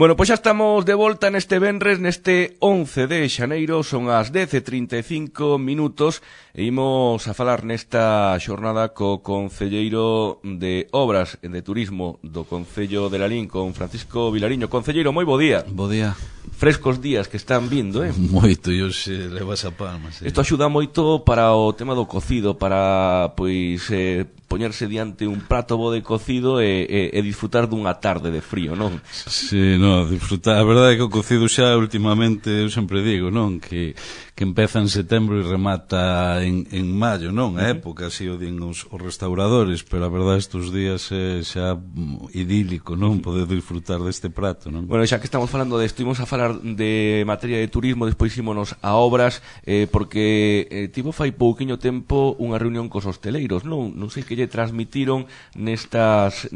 Bueno, pois xa estamos de volta neste venres, neste 11 de xaneiro, son as 10:35 e imos a falar nesta xornada co concelleiro de Obras e de Turismo do Concello de Lalín, con Francisco Vilariño. Concelleiro, moi bo día. Bo día. Frescos días que están vindo, Moito, e hoxe levas a palma, sí. Isto axuda moito para o tema do cocido, para, pois, poñerse diante un prato bo de cocido e disfrutar dunha tarde de frío, non? Sí, no, disfrutar. A verdade é que o cocido xa últimamente, eu sempre digo, non? Que empeza en setembro e remata en maio, non? A época, así o din os restauradores, pero a verdade estes días é xa idílico, non? Poder disfrutar deste prato, non? Bueno, xa que estamos falando desto, imos a falar de materia de turismo, despois ímonos a obras, porque tivo fai pouquiño tempo unha reunión cos hosteleiros, non? Non sei que lle transmitiron nestas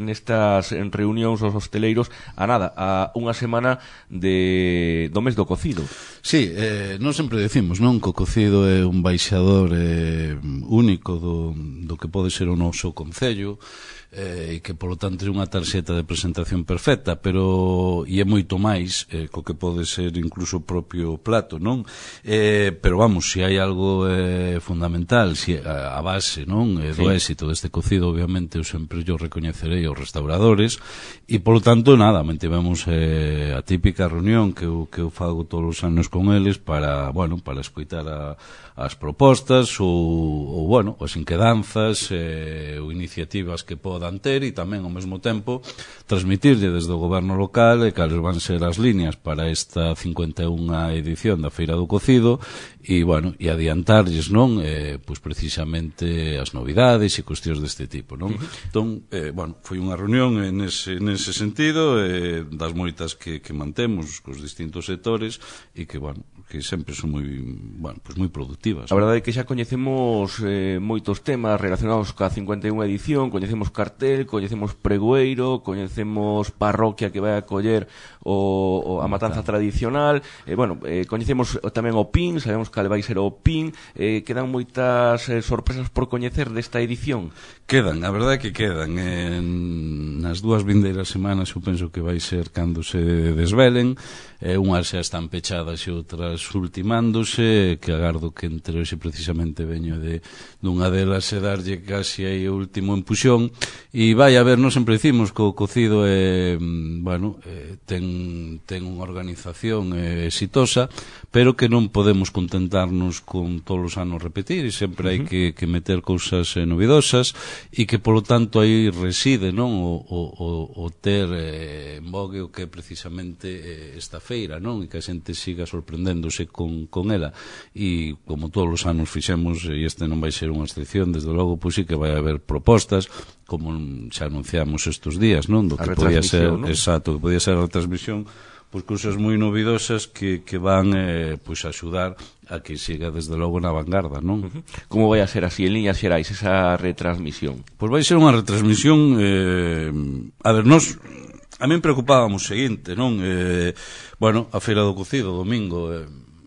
reunións os hosteleiros a nada, a unha semana do mes do cocido. Sí, non sempre decimos, non, que o cocido é un baixador único do que pode ser o noso concello, e que polo tanto é unha tarxeta de presentación perfecta, pero e é moito máis co que pode ser incluso o propio plato, non? Pero vamos, se hai algo fundamental, se a base, non, do éxito deste cocido, obviamente eu sempre yo recoñecerei aos restauradores, e polo tanto nada, mantivemos a típica reunión que eu fago todos os anos con eles para, bueno, para escoitar as propostas ou bueno, as inquedanzas ou iniciativas que podan ter, e tamén ao mesmo tempo transmitirlle desde o goberno local cales van ser as líneas para esta 51ª edición da Feira do Cocido, e bueno, e adiantarlles, non, pois precisamente as novidades e cuestións deste tipo, non? Entón, bueno, foi unha reunión nese sentido, das moitas que mantemos cos distintos sectores, e que, bueno, que sempre son moi, bueno, pois moi productivas. A verdade é que xa coñecemos moitos temas relacionados ca 51ª edición, coñecemos cartel, coñecemos pregoeiro, coñecemos parroquia que vai a acoller a matanza tradicional, bueno, coñecemos tamén o PIN, sabemos cal vai ser o PIN, quedan moitas sorpresas por coñecer desta edición. Quedan, a verdade é que quedan. Nas dúas vindeiras semanas eu penso que vai ser cando se desvelen, unhas xa están pechadas e outras ultimándose, que agardo que entre hoxe precisamente veño dunha delas e darlle casi aí o último empuxón, e vai a ver, non sempre dicimos que o cocido bueno, ten unha organización exitosa, pero que non podemos contentarnos con todos os anos repetir, e sempre hai que meter cousas novidosas, e que polo tanto aí reside, non, o ter en vogue o que é precisamente esta feira, non, e que a xente siga sorprendéndose con ela, e como todos os anos fixemos, e este non vai ser unha excepción, desde logo, pois sí que vai haber propostas, como xa anunciamos estes días, non, do que podía ser, ¿no? Exacto, que podía ser a retransmisión, pois cousas moi novidosas que van pois axudar a que siga desde logo na vanguarda, non? Como vai a ser así en líneas xerais esa retransmisión? Pois vai ser unha retransmisión, a ver, a min preocupábamos o seguinte, non? Bueno, a Feira do Cocido, domingo,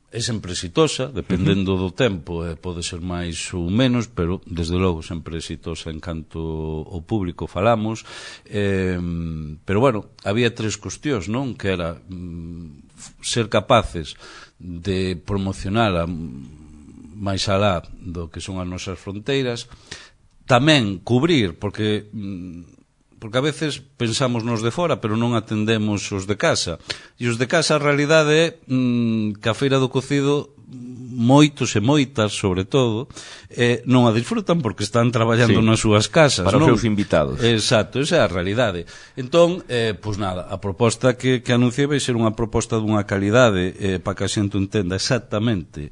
é sempre exitosa, dependendo do tempo, pode ser máis ou menos, pero desde logo sempre exitosa en canto ao público falamos, pero bueno, había tres cuestións, non? Que era ser capaces de promocionar máis alá do que son as nosas fronteiras, tamén cubrir, porque a veces pensamos nos de fora, pero non atendemos os de casa. E os de casa, a realidade é que a Feira do Cocido, moitos e moitas, sobre todo, non a disfrutan porque están traballando nas súas casas. Para os seus invitados. Exacto, esa é a realidade. Entón, pois nada, a proposta que anunciei vai ser unha proposta dunha calidade para que a xente entenda exactamente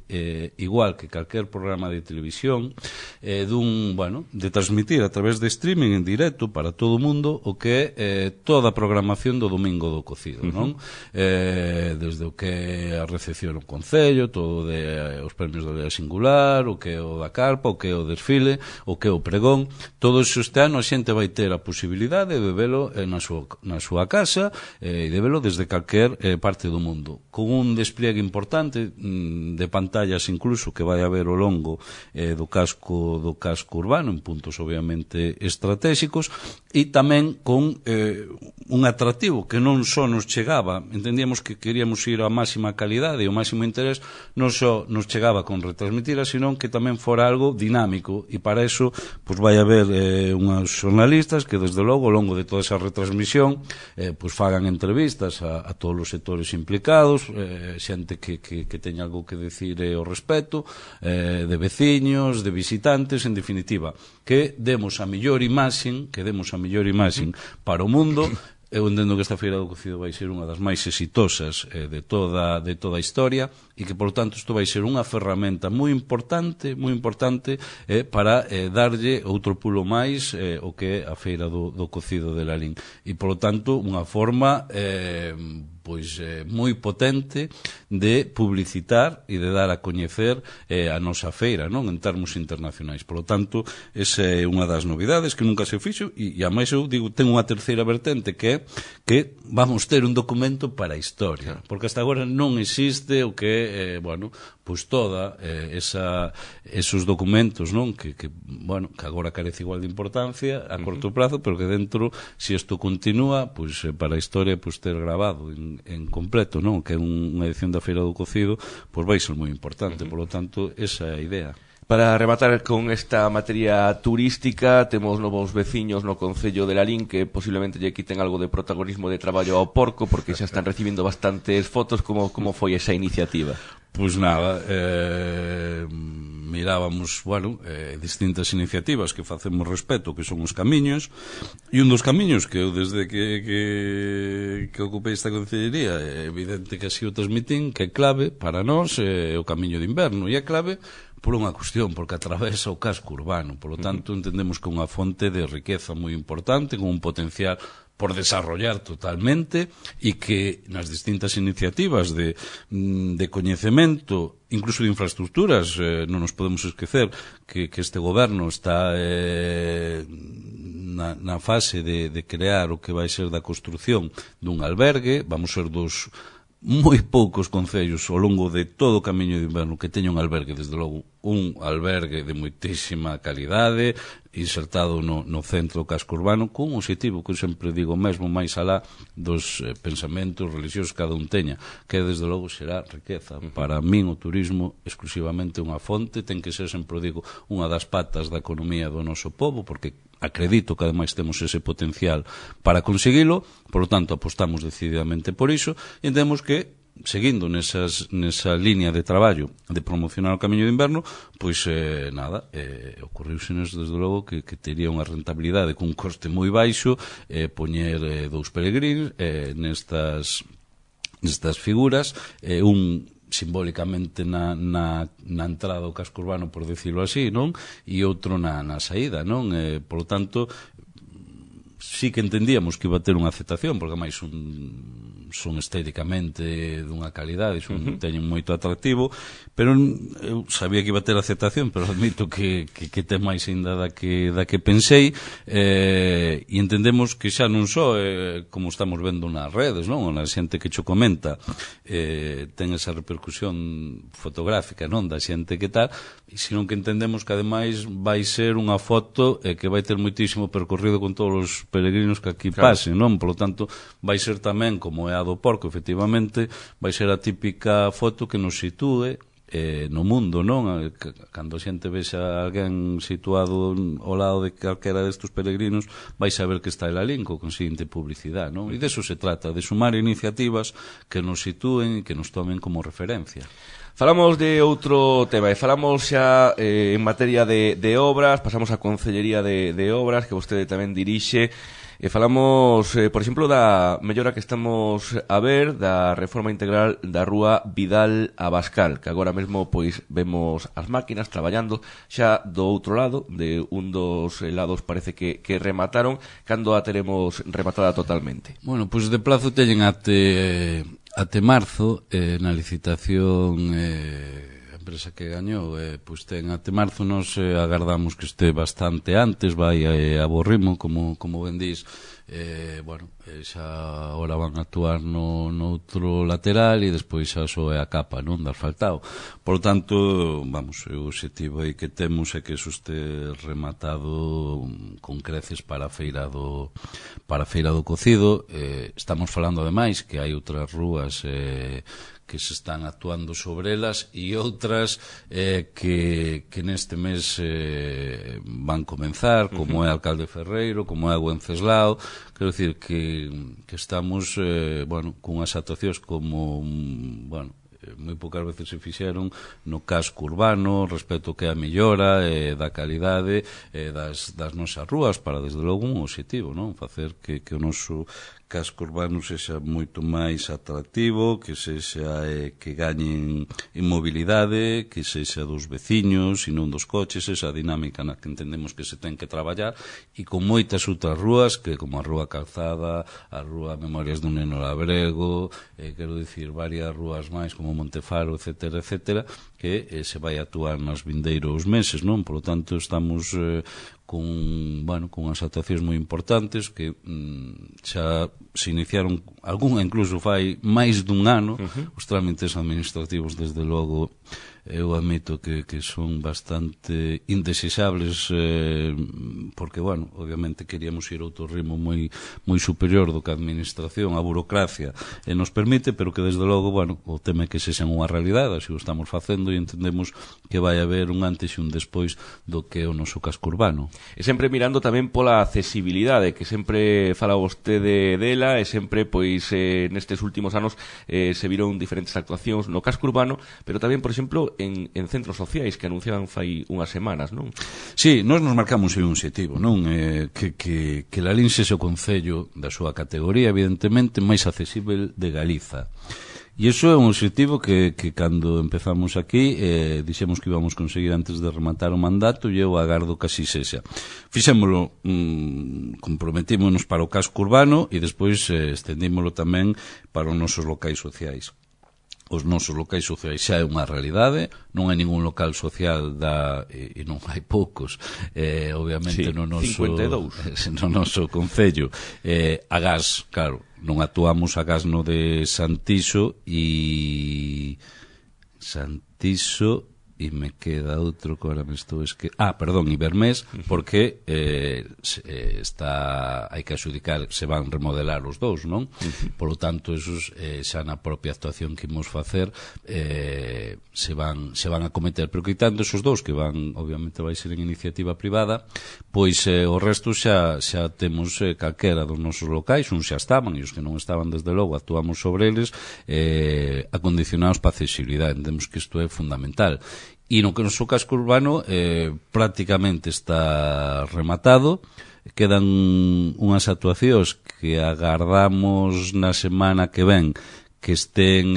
igual que calquer programa de televisión, de transmitir a través de streaming en directo para todo o mundo o que é toda a programación do Domingo do Cocido, non? Desde o que é a recepción no Concello, todo de os premios da Lea Singular, o que é o da Carpa, o que é o desfile, o que é o pregón. Todo iso este ano a xente vai ter a posibilidade de velo na súa casa e de velo desde calquer parte do mundo, con un despliegue importante de pantallas incluso que vai haber ao longo do casco urbano, en puntos obviamente estratégicos, e tamén con un atractivo que non só nos chegaba, entendíamos que queríamos ir á máxima calidade e ao máximo interés, non só nos chegaba con retransmitira, senón que tamén fora algo dinámico, e para eso pois vai haber unhas xornalistas que desde logo ao longo de toda esa retransmisión pois fagan entrevistas a todos os sectores implicados, xente que teña algo que decir ao respecto, de veciños, de visitantes, en definitiva, que demos a mellor imaxen para o mundo. Eu entendo que esta Feira do Cocido vai ser unha das máis exitosas de toda a historia, e que, por tanto, isto vai ser unha ferramenta moi importante para darlle outro pulo máis o que é a Feira do Cocido de Lalín. E, por tanto, unha forma moi potente de publicitar e de dar a coñecer a nosa feira, non, en termos internacionais. Por lo tanto, esa é unha das novidades que nunca se fixo, e ademais eu digo, ten unha terceira vertente, que é que vamos ter un documento para a historia, porque hasta agora non existe o que é, pois toda esos documentos, non, que agora carece igual de importancia a corto prazo, pero que dentro, se isto continúa, pois para a historia, pois ter grabado en completo, non, que é unha edición da Feira do Cocido, pois vai ser moi importante. Por lo tanto, esa é a idea. Para rematar con esta materia turística, temos novos veciños no Concello de Lalín que posiblemente lle quiten algo de protagonismo de traballo ao porco, porque xa están recibindo bastantes fotos. Como foi esa iniciativa? Pois nada, mirábamos, distintas iniciativas que facemos respecto, que son os camiños, e un dos camiños que eu desde que ocupei esta concellería, é evidente que así o transmitín, que é clave para nós, o camiño de inverno, e é clave por unha cuestión, porque atravesa o casco urbano. Por lo tanto, entendemos que é unha fonte de riqueza moi importante, con un potencial por desarrollar totalmente, e que nas distintas iniciativas de coñecemento, incluso de infraestructuras, non nos podemos esquecer que este goberno está na fase de crear o que vai ser da construción dun albergue. Vamos ser dos moi poucos concellos ao longo de todo o camiño de inverno que teña un albergue, desde logo un albergue de moitísima calidade, insertado no centro do casco urbano, con un objetivo que eu sempre digo mesmo, máis alá dos pensamentos religiosos que cada un teña, que desde logo será riqueza. Para min o turismo exclusivamente unha fonte, ten que ser, sempre digo, unha das patas da economía do noso pobo, porque acredito que ademais temos ese potencial para conseguilo. Por lo tanto, apostamos decididamente por iso, e entendemos que, seguindo nesa línea de traballo de promocionar o camiño de inverno, pois ocurriusenos desde logo que tería unha rentabilidade con un coste moi baixo poñer dous peregrinos nestas figuras, un simbólicamente na entrada do casco urbano, por decirlo así, non? E outro na saída, non? Por lo tanto, sí que entendíamos que iba a ter unha aceptación, porque máis son estéticamente dunha calidade, teñen moito atractivo, pero eu sabía que iba a ter aceptación, pero admito que ten máis ainda da que pensei, e entendemos que xa non só como estamos vendo nas redes, non? A xente que cho comenta ten esa repercusión fotográfica, non? Da xente que tal, sino que entendemos que ademais vai ser unha foto que vai ter moitísimo percorrido con todos os peregrinos que aquí pasen, non? Por lo tanto, vai ser tamén, como é a do porco, efectivamente, vai ser a típica foto que nos sitúe no mundo, non? Cando a xente vexa a alguén situado ao lado de calquera destes peregrinos, vai saber que está en Lalín, co consiguiente publicidade, non? E deso se trata, de sumar iniciativas que nos sitúen e que nos tomen como referencia. Falamos de outro tema, e falamos xa en materia de obras, pasamos á Concellería de Obras, que vostede tamén dirixe, e falamos, por exemplo, da mellora que estamos a ver da reforma integral da rúa Vidal Abascal, que agora mesmo pois vemos as máquinas traballando xa do outro lado, de un dos lados parece que remataron. Cando a teremos rematada totalmente? Bueno, pois de plazo teñen até marzo na licitación empresa que gañou, pois ten até marzo, nos agardamos que este bastante antes, vai a bo ritmo, como ben dís. Bueno, xa ahora van a actuar no outro lateral e despois xa só é a capa, non, de asfaltado. Por lo tanto, vamos, o objetivo aí que temos é que eso este rematado con creces para a feira do cocido. Estamos falando ademais que hai outras rúas que se están actuando sobre elas e outras que neste mes van comenzar, como é Alcalde Ferreiro, como é Wenceslao. Quero dicir que estamos cunhas actuacións como moi poucas veces se fixeron no casco urbano respecto que a mellora da calidade das nosas rúas, para desde logo un objetivo, non? Facer que o noso casco urbano sexa moito máis atractivo, que sexa que gañen en mobilidade, que sexa dos veciños e non dos coches, esa dinámica na que entendemos que se ten que traballar, e con moitas outras rúas, que como a Rúa Calzada, a Rúa Memorias dun Neno Labrego, quero dicir, varias rúas máis como Montefaro, etcétera, etcétera, que se vai actuar nos vindeiros meses, non? Por lo tanto, estamos con as actuacións moi importantes que xa se iniciaron, algunha incluso fai máis dun ano. Os trámites administrativos, desde logo, eu admito que son bastante indesexables, porque, obviamente queríamos ir a outro ritmo moi superior do que a administración, a burocracia nos permite, pero que desde logo, o tema é que se xan unha realidade, así o estamos facendo e entendemos que vai haber un antes e un despois do que é o noso casco urbano. E sempre mirando tamén pola accesibilidade, que sempre fala vostede dela, e sempre, pois, nestes últimos anos se viron diferentes actuacións no casco urbano, pero tamén, por exemplo, en centros sociais que anunciaban fai unhas semanas, non? Sí, nós nos marcamos un objetivo, non? Que Lalín sexa o concello da súa categoría, evidentemente, máis accesible de Galiza. E iso é un objetivo que cando empezamos aquí dixemos que íbamos conseguir antes de rematar o mandato, e eu agardo que así sexa. Fixémolo, comprometímonos para o casco urbano e despois estendímolo tamén para os nosos locais sociais. Os nosos locais sociais xa é unha realidade, non hai ningún local social e non hai poucos, obviamente, no noso 52 no noso concello. Agás, claro, non actuamos agás no de Santiso e me queda outro que ahora me estou Ibermés, porque hai que adjudicar, se van remodelar os dous, non? Por lo tanto, esos xa na propia actuación que imos facer se van a cometer, pero quitando esos dous que van, obviamente vai ser en iniciativa privada, pois o resto xa temos calquera dos nosos locais, uns xa estaban e os que non estaban, desde logo, actuamos sobre eles acondicionados para accesibilidade. Entendemos que isto é fundamental. E no que o noso casco urbano prácticamente está rematado. Quedan unhas actuacións que agardamos na semana que ven que estén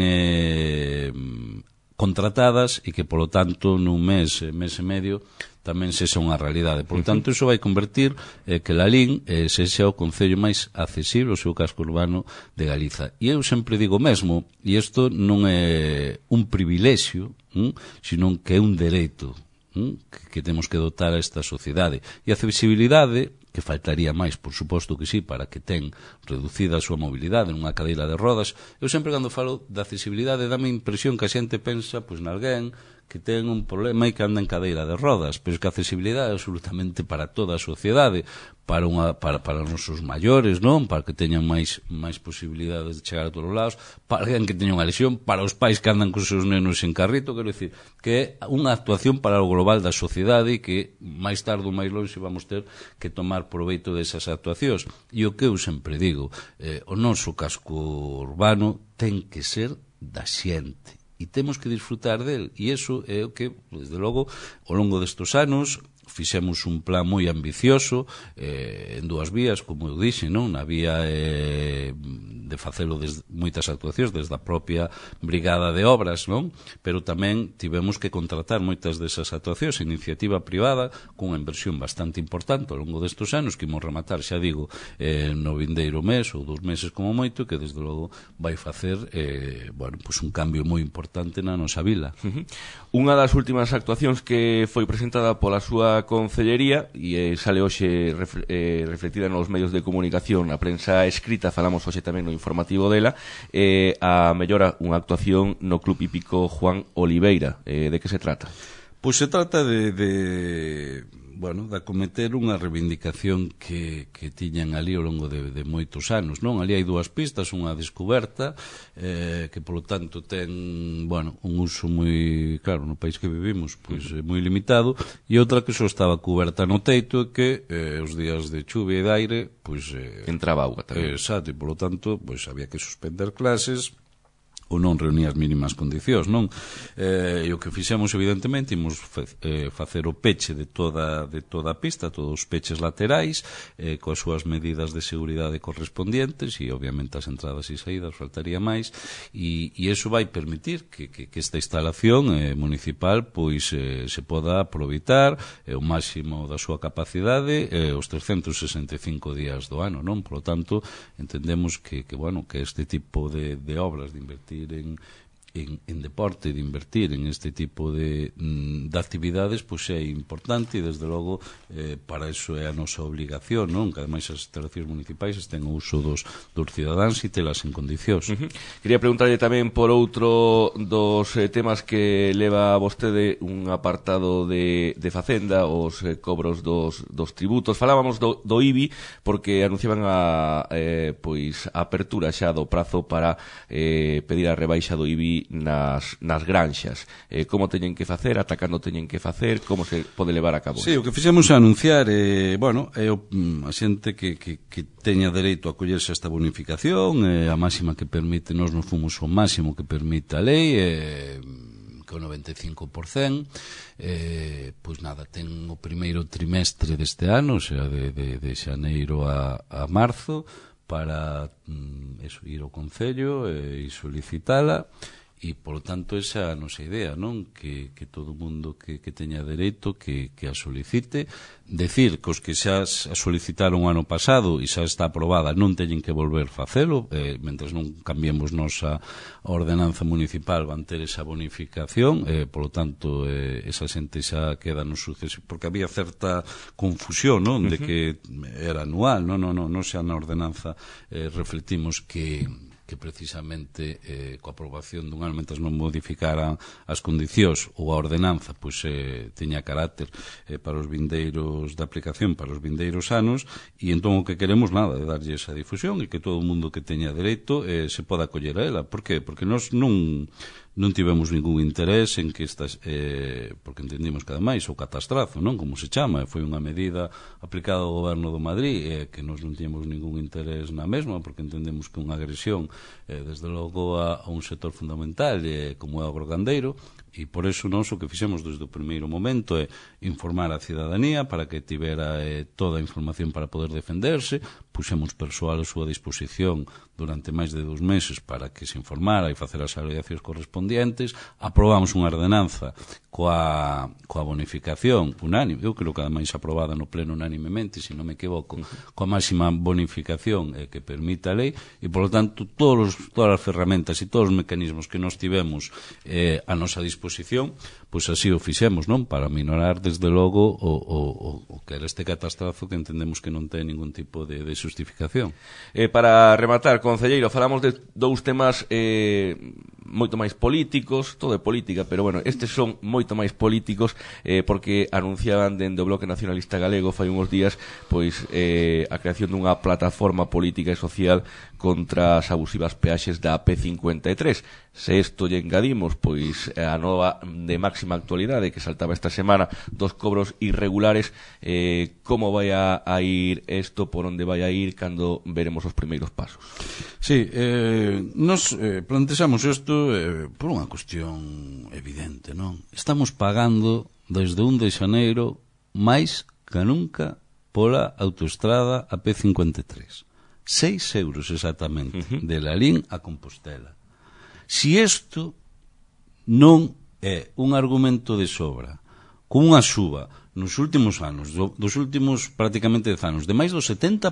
contratadas e que, polo tanto, nun mes e medio tamén sexa unha realidade. Por tanto, iso vai convertir que Lalín sexa o concello máis accesible, o seu casco urbano de Galiza. E eu sempre digo mesmo, e isto non é un privilexio, sino que é un dereito que temos que dotar a esta sociedade. E a accesibilidade, que faltaría máis, por suposto que sí, para que ten reducida a súa mobilidade nunha cadeira de rodas. Eu sempre, cando falo de accesibilidade, dame a impresión que a xente pensa nalguén que ten un problema e que anda en cadeira de rodas, pero que a accesibilidade é absolutamente para toda a sociedade, para os nosos maiores, non? Para que teñan máis posibilidades de chegar a todos os lados, para alguén que teña unha lesión, para os pais que andan con os seus nenos en carrito. Quero dicir que é unha actuación para o global da sociedade e que máis tarde ou máis longe vamos ter que tomar proveito desas actuacións. E o que eu sempre digo, o noso casco urbano ten que ser da xente e temos que disfrutar del, e iso é o que, desde logo, ao longo destes anos fixemos un plan moi ambicioso en dúas vías, como eu dixe, non? Na vía de facelo desde moitas actuacións desde a propia brigada de obras, non? Pero tamén tivemos que contratar moitas desas actuacións, iniciativa privada, cunha inversión bastante importante ao longo destes anos, que imos rematar, xa digo, no vindeiro mes ou 2 meses como moito, que desde logo vai facer un cambio moi importante na nosa vila. Unha das últimas actuacións que foi presentada pola súa concellería e sale hoxe reflectida nos medios de comunicación, na prensa escrita, falamos hoxe tamén no informativo dela, a mellora unha actuación no Club Hípico Juan Oliveira. De que se trata? Pois se trata de acometer unha reivindicación que tiñan ali ao longo de moitos anos, non? Ali hai dúas pistas, unha descoberta que polo tanto ten, un uso moi, claro, no país que vivimos, pois moi limitado, e outra que só estaba coberta no teito e que os días de chuvia e de aire, pois entraba auga tamén. Exacto, e polo tanto, pois había que suspender clases ou non reunía as mínimas condicións, non? E o que fixemos, evidentemente, imos facer o peche de toda a pista, todos os peches laterais, coas súas medidas de seguridade correspondientes, e obviamente as entradas e saídas faltaría máis, e iso vai permitir que esta instalación municipal pois se poda aproveitar o máximo da súa capacidade os 365 días do ano, non? Por lo tanto, entendemos que este tipo de obras, de invertir en deporte, de invertir en este tipo de actividades, pois é importante, e desde logo para iso é a nosa obligación, non? Que ademais as instalacións municipais estén ao uso dos cidadáns e telas en condicións. Quería preguntarlle tamén por outro dos temas que leva vostede, un apartado de Facenda, os cobros dos tributos. Falábamos do IBI porque anunciaban a apertura xa do prazo para pedir a rebaixa do IBI nas granxas. Como teñen que facer, ata cando teñen que facer, como se pode levar a cabo? Sí, o que fixemos é anunciar a xente que teña dereito a collerse a esta bonificación, a máxima que permite, nós non fomos o máximo que permite a lei, que o 95%, pois nada, ten o primeiro trimestre deste ano, o sea, de xaneiro a marzo, para ir ao Concello e solicitala, e, polo tanto, esa é a nosa idea, non? Que todo o mundo que teña dereito que a solicite. Decir que os que xa a solicitaron o ano pasado e xa está aprobada non teñen que volver facelo, mentres non cambiemos nosa ordenanza municipal, van ter esa bonificación, polo tanto, esa xente xa queda no suceso, porque había certa confusión, non? De que era anual, non xa na ordenanza reflectimos que precisamente coa aprobación dun ano, mentre non modificaran as condicións ou a ordenanza, pois teña carácter para os vindeiros de aplicación para os vindeiros anos, e entón o que queremos nada é darlle esa difusión e que todo o mundo que teña dereito se poda acoller a ela. Por qué? Porque nós non tivemos ningún interés en que estas, porque entendimos que ademais o catastrazo, non? Como se chama, foi unha medida aplicada ao goberno do Madrid, que nós non tínhamos ningún interés na mesma, porque entendemos que unha agresión desde logo a un sector fundamental como é o agrogandeiro, e por eso nós o que fixemos desde o primeiro momento é informar a cidadanía para que tivera toda a información para poder defenderse. Puxemos persoal a súa disposición durante máis de 2 meses para que se informara e facer as alegacións correspondientes. Aprobamos unha ordenanza coa bonificación unánime, eu creo que ademais aprobada no pleno unánimemente, se non me equivoco, coa máxima bonificación que permite a lei, e polo tanto todas as ferramentas e todos os mecanismos que nós tivemos a nosa disposición, pois así o fixemos, non? Para minorar desde logo o que era este catastrazo que entendemos que non ten ningún tipo de justificación. Para rematar, concelleiro, falamos de dous temas moito máis políticos, todo é política, pero bueno, estes son moito máis políticos porque anunciaban dende o Bloque Nacionalista Galego fai uns días pois a creación dunha plataforma política e social contra as abusivas peaxes da P53. Se isto lle engadimos pois a nova de máxima actualidade que saltaba esta semana dos cobros irregulares, como vai a ir isto, por onde vai a ir, cando veremos os primeiros pasos? Sí, nos plantexamos isto por unha cuestión evidente, non? Estamos pagando desde 1 de xaneiro máis que nunca pola autoestrada AP53. 6 euros exactamente, de Lalín a Compostela. Si isto non é un argumento de sobra, con unha suba nos últimos anos, dos últimos prácticamente 10 anos, de máis do 70%,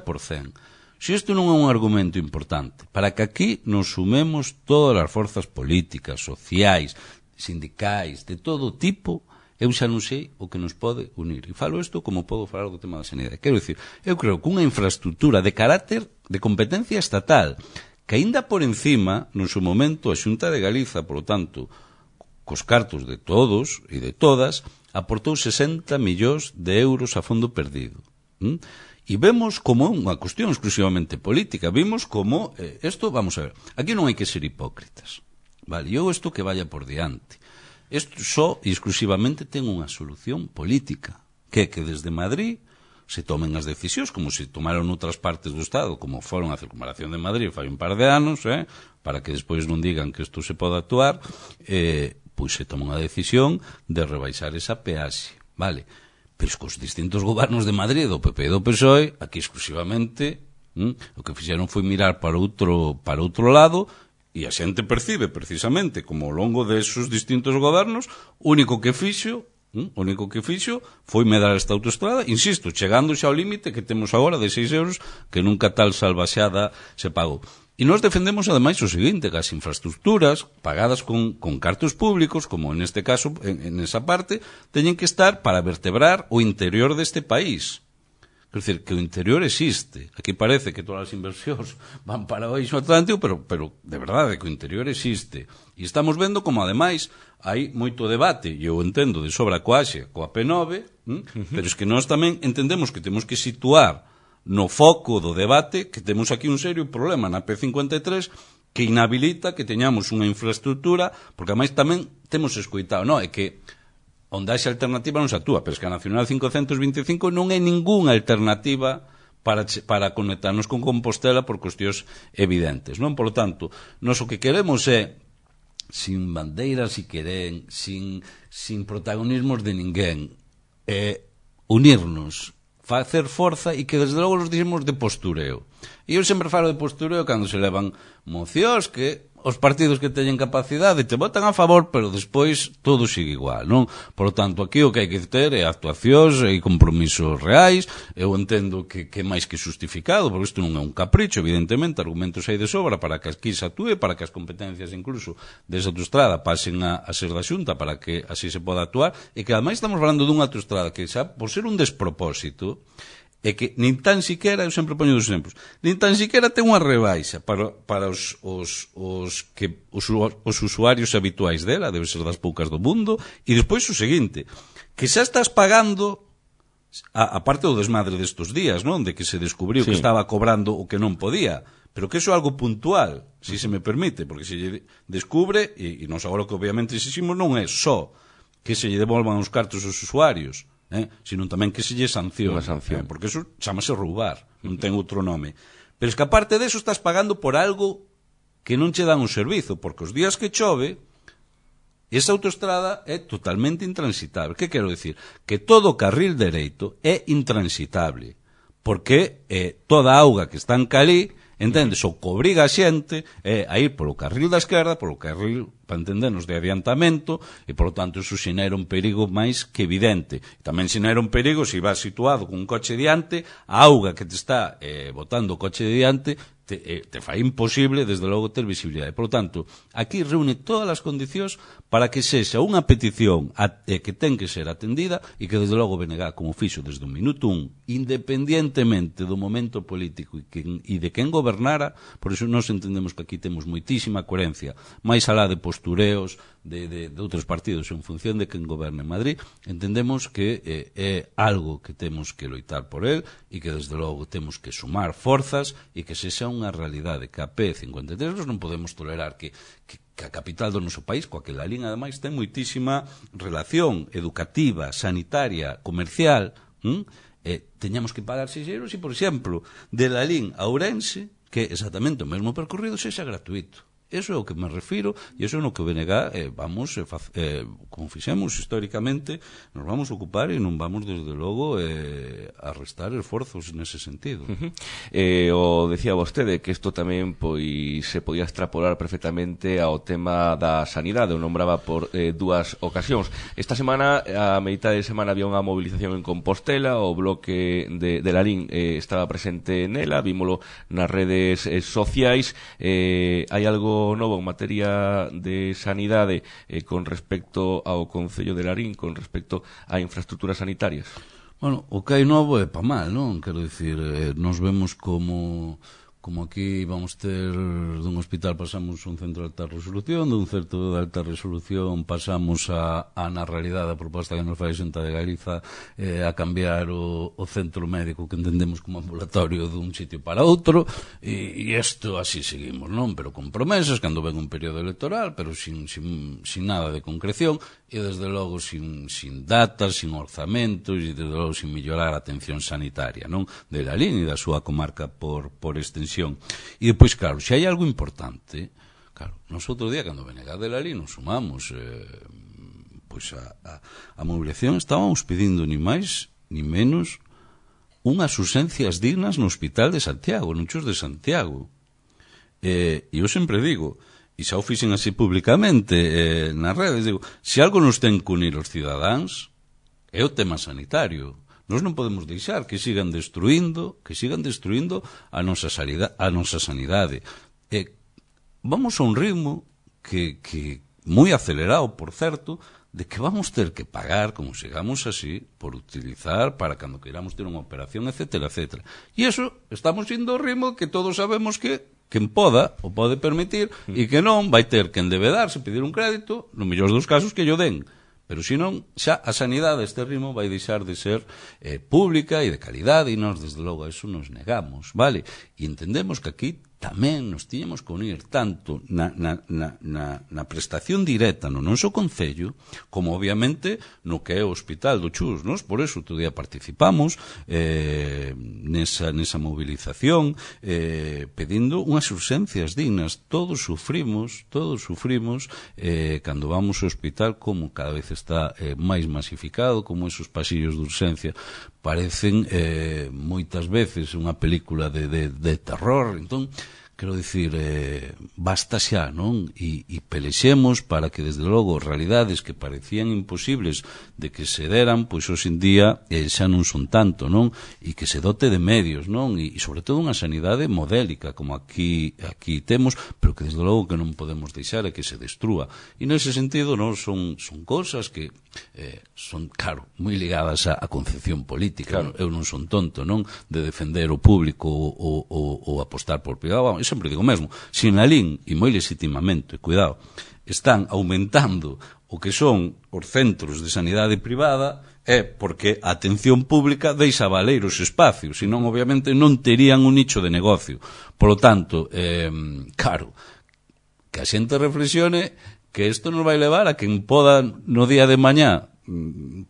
se isto non é un argumento importante para que aquí nos sumemos todas as forzas políticas, sociais, sindicais, de todo tipo, eu xa non sei o que nos pode unir. E falo isto como podo falar do tema da sanidade. Quero dicir, eu creo que unha infraestructura de carácter de competencia estatal, que aínda por encima, no seu momento, a Xunta de Galiza, por lo tanto, cos cartos de todos e de todas, aportou 60 millóns de euros a fondo perdido. E vemos como unha cuestión exclusivamente política, vimos como isto, vamos a ver, aquí non hai que ser hipócritas, vale, eu isto que vaya por diante, isto só e exclusivamente ten unha solución política, que é que desde Madrid se tomen as decisións como se tomaron noutras partes do Estado, como foron a circunvalación de Madrid fai un par de anos, para que despois non digan que isto se pode actuar, pois se toma unha decisión de rebaixar esa peaxe, vale. Pero cos distintos gobernos de Madrid, do PP e do PSOE, aquí exclusivamente o que fixeron foi mirar para outro lado e a xente percibe precisamente como ao longo desos distintos gobernos o único que fixo foi medrar esta autoestrada, insisto, chegando xa ao límite que temos agora de 6 euros que nunca tal salvaxada se pagou. E nós defendemos, ademais, o seguinte, que as infraestructuras pagadas con cartos públicos, como en este caso, en esa parte, teñen que estar para vertebrar o interior deste país. Quer dizer, que o interior existe. Aquí parece que todas as inversións van para o eixo atlántico, pero de verdade que o interior existe. E estamos vendo como, ademais, hai moito debate, e eu entendo de sobra coa AXE, coa P9, pero es que nós tamén entendemos que temos que situar no foco do debate que temos aquí un serio problema na P53 que inhabilita que teñamos unha infraestructura, porque ademais tamén temos escoitado, é que onde haxe alternativa non se actúa, pero es que a Nacional 525 non é ningunha alternativa para conectarnos con Compostela por cuestións evidentes, non? Por lo tanto, nós o que queremos é sin bandeiras, si queren, sin protagonismos de ninguén, unirnos, facer forza e que desde logo nos dixemos de postureo. E eu sempre falo de postureo cando se levan mocións que os partidos que teñen capacidade te votan a favor, pero despois todo sigue igual, non? Por lo tanto, aquí o que hai que ter é actuacións e compromisos reais. Eu entendo que é máis que justificado, porque isto non é un capricho, evidentemente, argumentos hai de sobra para que aquí se actúe, para que as competencias incluso desa autoestrada pasen a ser da Xunta, para que así se poda actuar, e que ademais estamos falando dunha autoestrada que xa, por ser un despropósito, é que nin tan siquera, eu sempre poño dos exemplos, nin tan siquera ten unha rebaixa para os usuarios habituais dela, debe ser das poucas do mundo, e despois o seguinte, que xa estás pagando, a parte do desmadre destos días, non? De que se descubriu que estaba cobrando o que non podía, pero que iso é algo puntual, si se me permite, porque se lle descubre, e nós agora que obviamente exiximos non é só que se lle devolvan os cartos aos usuarios, sino tamén que se lle sancione, porque eso chamase roubar, non ten outro nome. Pero es que aparte deso estás pagando por algo que non che dan un servizo, porque os días que chove esa autoestrada é totalmente intransitable. Que quero dicir? Que todo o carril dereito é intransitable, porque toda a auga que está en calí, entendes, o que obriga a xente é a ir polo carril da esquerda, polo carril, para entendernos, de adiantamento, e, por lo tanto, eso xenera un perigo máis que evidente. Tamén xenera un perigo se vas situado con un coche diante, a auga que te está botando o coche diante te fai imposible, desde logo, ter visibilidade. Por lo tanto, aquí reúne todas as condicións para que sexa unha petición que ten que ser atendida e que, desde logo, BNG, como fixo desde o minuto 1, independientemente do momento político e de quen gobernara, por iso nós entendemos que aquí temos moitísima coherencia, máis alá de postureos de outros partidos en función de quen goberna en Madrid, entendemos que é algo que temos que loitar por él e que, desde logo, temos que sumar forzas e que sexa unha realidade que a P53 non podemos tolerar que a capital do noso país, coa que Lalín, ademais, ten moitísima relación educativa, sanitaria, comercial, teñamos que pagar 6 euros e, por exemplo, de Lalín a Ourense, que é exactamente o mesmo percorrido, sexa gratuito. Eso é o que me refiro, e eso é no que o BNG vamos, como fixemos históricamente, nos vamos ocupar e non vamos, desde logo, a restar esforzos nese sentido. O decía vostede que isto tamén pois se podía extrapolar perfectamente ao tema da sanidade, o nombraba por dúas ocasións. Esta semana, a mitad de semana, había unha movilización en Compostela, o bloque de Lalín estaba presente nela, vímolo nas redes sociais. Hai algo novo en materia de sanidade con respecto ao Concello de Lalín, con respecto a infraestructuras sanitarias? Bueno, o que hai novo é pa mal, non? Quero dicir, nos vemos como aquí vamos ter dun hospital pasamos un centro de alta resolución, dun centro de alta resolución pasamos a na realidade a proposta que nos fai a Xunta de Galiza a cambiar o centro médico que entendemos como ambulatorio dun sitio para outro, e isto así seguimos, non? Pero con promesas, cando ven un período electoral, pero sin nada de concreción, e desde logo sin datas, sin orzamentos, e desde logo sin mellorar a atención sanitaria, non? De Lalín e da súa comarca por extensión. E depois, claro, se hai algo importante, claro, nos outro día, cando BNG de Lalín nos sumamos pois a movilización, estábamos pedindo ni máis ni menos unhas urxencias dignas no Hospital de Santiago, no Chus de Santiago. E eu sempre digo, e xa o fixen así públicamente nas redes, digo, se algo nos ten que unir os cidadáns é o tema sanitario. Nós non podemos deixar que sigan destruindo a nosa sanidade. Vamos a un ritmo que moi acelerado, por certo, de que vamos ter que pagar, como sigamos así, por utilizar para cando queiramos ter unha operación, etcétera, etcétera. E iso, estamos indo ao ritmo que todos sabemos que quen poda o pode permitir e que non vai ter que endebedarse, pedir un crédito, no mellor dos casos que yo den. Pero senón, xa a sanidade a este ritmo vai deixar de ser pública e de calidade, e nós, desde logo, a eso nos negamos, vale? E entendemos que aquí tamén nos tiñamos que unir tanto na prestación directa no noso concello, como obviamente no que é o Hospital do Chus, nos? Por eso outro día participamos nesa movilización pedindo unhas urxencias dignas. Todos sufrimos cando vamos ao hospital, como cada vez está máis masificado, como esos pasillos de urxencia parecen moitas veces unha película de terror. Entón, quero dicir, basta xa, non? E pelexemos para que, desde logo, realidades que parecían imposibles de que se deran, pois hoxe en día xa non son tanto, non? E que se dote de medios, non? E sobre todo unha sanidade modélica, como aquí temos, pero que, desde logo, que non podemos deixar é que se destrúa. E nese sentido, non son cosas que son, claro, moi ligadas á concepción política. Claro. Eu non son tonto, non? De defender o público ou apostar por privado. Eu sempre digo mesmo, se en Lalín, e moi legitimamente, cuidado, están aumentando o que son os centros de sanidade privada, é porque a atención pública deixa valer os espacios, senón, obviamente, non terían un nicho de negocio. Por lo tanto, claro, que a xente reflexione que isto nos vai levar a quen poda no día de mañá,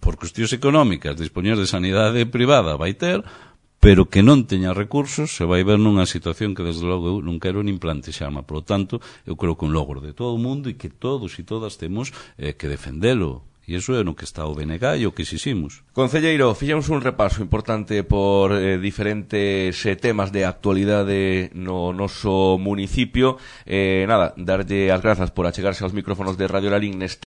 por cuestións económicas, dispoñer de sanidade privada, vai ter, pero que non teña recursos, se vai ver nunha situación que, desde logo, eu non quero nin plantexarme. Por lo tanto, eu creo que un logro de todo o mundo e que todos e todas temos que defendelo. E iso é no que está o BNG e o que exiximos. Concelleiro, fixemos un repaso importante por diferentes temas de actualidade no noso municipio. Darlle as grazas por achegarse aos micrófonos de Radio Lalín neste